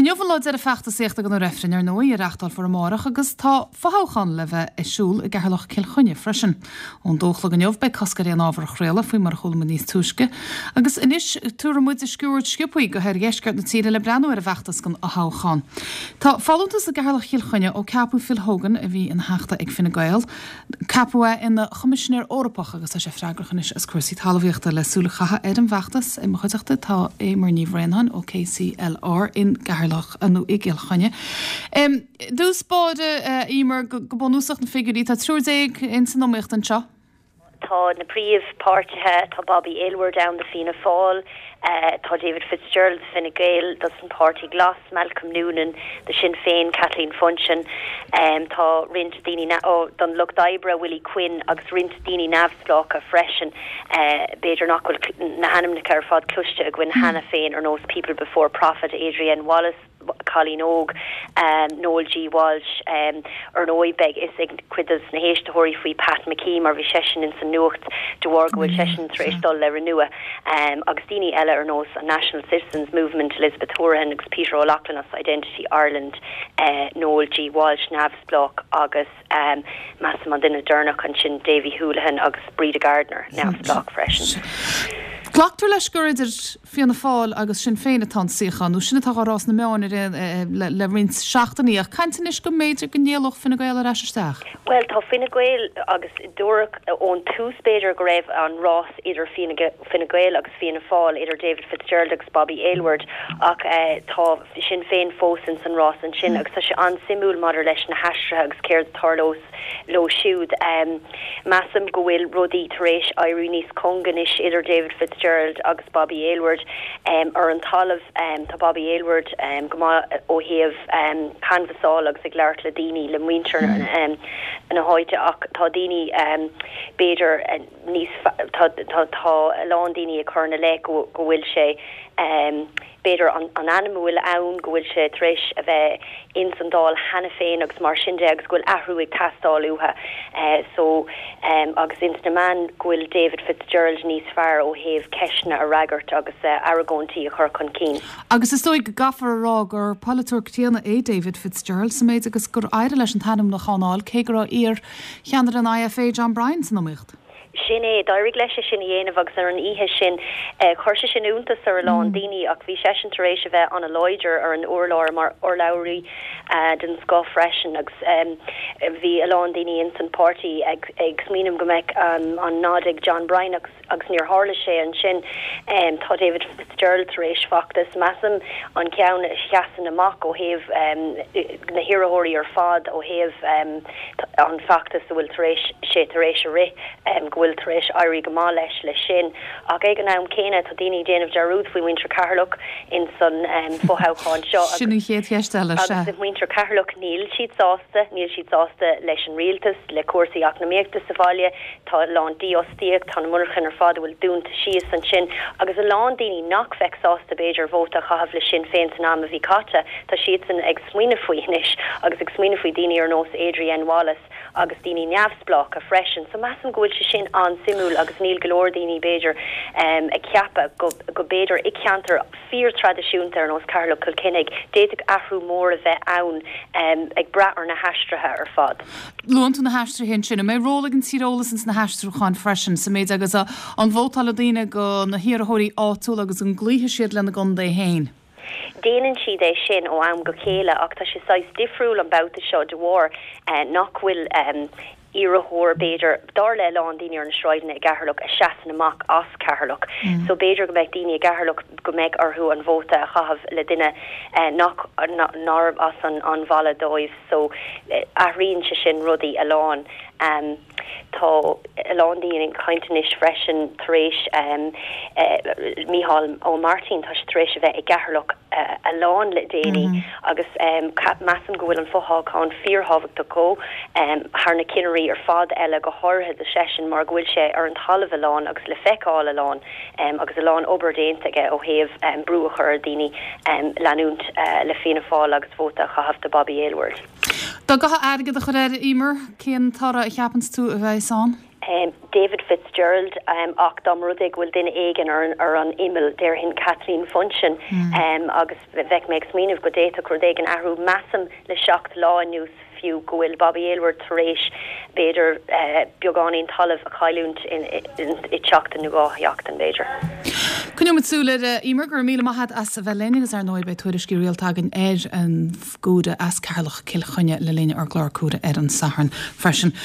Inniu an lá deiridh feachtasaíochta do na reifrinn, ar ndóigh, a reachtálfar amárach agus tá fothoghchán le bheith ar siúl i gCeatharlach Cill Chainnigh freisin. Ón dó a chlog inniu beidh cosc ar aon ábhar a chraoladh, faoi mar a chuala muid níos túisce. Agus anois tabharfaidh muid sciuird sciobthaí go hoirdheisceart na tíre le breathnú ar an bhfeachtas don fhothoghchán. Tá folúntas i gCeatharlach Chill Chainnigh ó ceapadh Phil Hogan, a bhí ina Theachta ag Fine Gael, Ceapadh é ina Choimisinéir Eorpach agus tá sé freagrach anois as cúrsaí talmhaíochta. Le súil a chaitheamh ar an bhfeachtas i mo chuideachta tá Eimear Ní Bhraonáin ó KCLR in gCeatharlach nó i gCill Chainnigh. I dtús báire, a Eimear, go bunúsach na figiúirí, tá 13 ins an iomaíocht anseo. Tá na príomhpháirtithe, tá Bobby Aylward ann do Fianna Fáil, tá David Fitzgerald do Fine Gael, dos an Páirtí Glas, Malcolm Noonan do Sinn Féin, Kathleen Funchion, tá roinnt daoine don Lucht Oibre, Willie Quinn agus roinnt daoine neamhspleácha freisin, b'fhéidir nach bhfuil na hainmneacha ar fad cloiste againn cheana féin ar nós People Before Profit, Adrienne Wallace. Cailín Óg, Noel G. Walsh, Ar ndóigh, beidh fhios ag cuid dos na héisteoirí faoi Pat McKee mar bhí seisean ins an nuacht de bharr go bhfuil seisean tar éis dul le Renua, agus daoine eile ar nós an National Citizens Movement, Elizabeth Hourihan agus Peter O'Loughlin as Identity Ireland, Noel G. Walsh, neamhspleách, agus measaim an duine deireanach ansin, Davy Houlihan agus Breda Gardiner, neamhspleách freisin. Glactar leis gur idir Fianna Fáil agus Sinn Féin atá an suíochán, nó sin atá á rá sna meáin ar aon le roinnt seachtainí, ach caint anois go mb'fhéidir go n-éalódh Fine Gael ar ais isteach. Bhuel, tá Fine Gael, agus dúradh ón tús b'fhéidir go raibh an rás idir Fine Gael agus Fianna Fáil, idir David Fitzgerald agus Bobby Aylward, ach tá Sinn Féin fós ins an rás ansin agus tá sé an-suimiúil maidir leis na haistrithe agus céard a tharlós leo siúd. Measaim go bhfuil rudaí tar éis éirí níos cúng anois idir David Fitzgerald agus Bobby Aylward. Ar an talamh, tá Bobby Aylward go maith ó thaobh canbhasáil agus ag labhairt le daoine, le muintir na háite ach tá daoine b'fhéidir níos, tá a lán daoine ag cur ina leith go bhfuil sé b'fhéidir, an ainm a bhfuil ann, go bhfuil sé tar éis a bheith ins an Dáil cheana féin agus mar sin de agus go bhfuil athrú ag teastáil uathu. So, agus ins na meáin go bhfuil David Fitzgerald níos fearr ó thaobh ceisteanna a fhreagairt agus argóintí a chur chun cinn. Agus is dóigh go gcaithfear a rá gur polaiteoir críonna é David Fitzgerald sa méid agus gur éirigh leis an t-ainmniúchán a fháil cé go raibh iar-cheannaire an IFA John Bryan san iomaíocht. Sin é, d'éirigh leis é sin a dhéanamh agus ar an oíche sin, chuir sé sin iontas ar a lán daoine ach bhí seisean tar éis a bheith an-láidir ar an urlár mar urlabhraí den scoth freisin agus bhí a lán daoine ins an páirtí ag smaoineamh go mbeadh an nod ag John Bryan agus agus níor tharla sé ansin. Tá David Fitzgerald tar éis feachtas, measaim, an ceann a sheasann amach ó thaobh na hiarrthóirí ar fad ó thaobh an feachtas a bhfuil tar éis sé tar éis a rith, go bhfuil tar éis éirí go maith leis leis sin. Ach ag an am céanna tá daoine ag déanamh dearúd faoi mhuintir Cheatharlach ins an fothoghchán seo agus Sin an chéad cheist eile, sea. Agus muintir Cheatharlach níl siad sásta, níl siad sásta leis an rialtas, le cúrsaí eacnamaíochta sa bhaile, tá a lán dífhostaíocht, tá na monarchain ar fad a bhfuil dúnta síos ansin agus a lán daoine nach bheadh sásta b'fhéidir vóta a chaitheamh le Sinn Féin san am a bhí caite, tá siadsan ag smaoineamh faoi anois agus ag smaoineamh faoi daoine ar nós Adrienne Wallace agus daoine neamhspleácha freisin. So measaim go bhfuil sé sin an-suimiúil agus níl go leor daoine b'fhéidir ag ceapadh go go b'fhéidir i ceantar fíor-traidisiúnta ar nós Ceatharlach Cill Chainnigh d'fhéadfadh athrú mór a bheith ann ag brath ar na haistrithe ar fad. Luann tú na haistrithe ansin. An mbeidh ról ag an tíreolas ins na haistriúcháin freisin, sa méid agus an vótálfaidh daoine go na hiarrthóirí áitiúla agus an gcloífidh siad lena gcontae féin? Déanann siad é sin ó am go chéile ach tá sé saghas difriúil an babhta seo de bharr nach bhfuil iarrthóir, b'fhéidir, dar le a lán daoine ar na sráideanna i gCeatharlach, a seasann amach as Ceatharlach. So b'fhéidir go mbeidh daoine i gCeatharlach go mbeidh orthu an vóta a chaitheamh le duine nach nárbh as an bhaile dóibh. So athraíonn sé sin rudaí a lán. Tá a lán daoine ag caint anois freisin tar éis Mícheál Ó Máirtín, tá sé tar éis a bheith i gCeatharlach a lán le déanaí agus measaim go bhfuil an fothoghchán fíorthábhachtach dhó thar na cinnirí ar fad eile, go háirithe do seisean mar go bhfuil sé ar an talamh a lán agus le feiceáil a lán agus a lán obair déanta aige ó thaobh brú a chur ar daoine leanúint le Fianna Fáil agus vóta a chaitheamh do Bobby Aylward. Dá gcaithfeá airgead a chur air, Emer, cén toradh a cheapanns tú a bheas ann? David Fitzgerald ach dá mba rud é go bhfuil duine éigin ar an imeall, déarfainn Kathleen Funchion agus bheadh mé ag smaoineamh go d'fhéadfadh rud éigin athrú. Measaim le seacht lá anuas fiú go bhfuil Bobby Aylward tar éis b'fhéidir beagáinín talaimh a chailliúint i seachtain nó 2 sheachtain b'fhéidir. Coinneoidh muid súil air. Emer, go raibh míle maith agat as a bheith linn agus ar ndóigh beidh tuairiscí rialta againn ar an gcomhaireamh as Ceatharlach Cill Chainnigh le linn ár gclár Comhaire ar an Satharn freisin.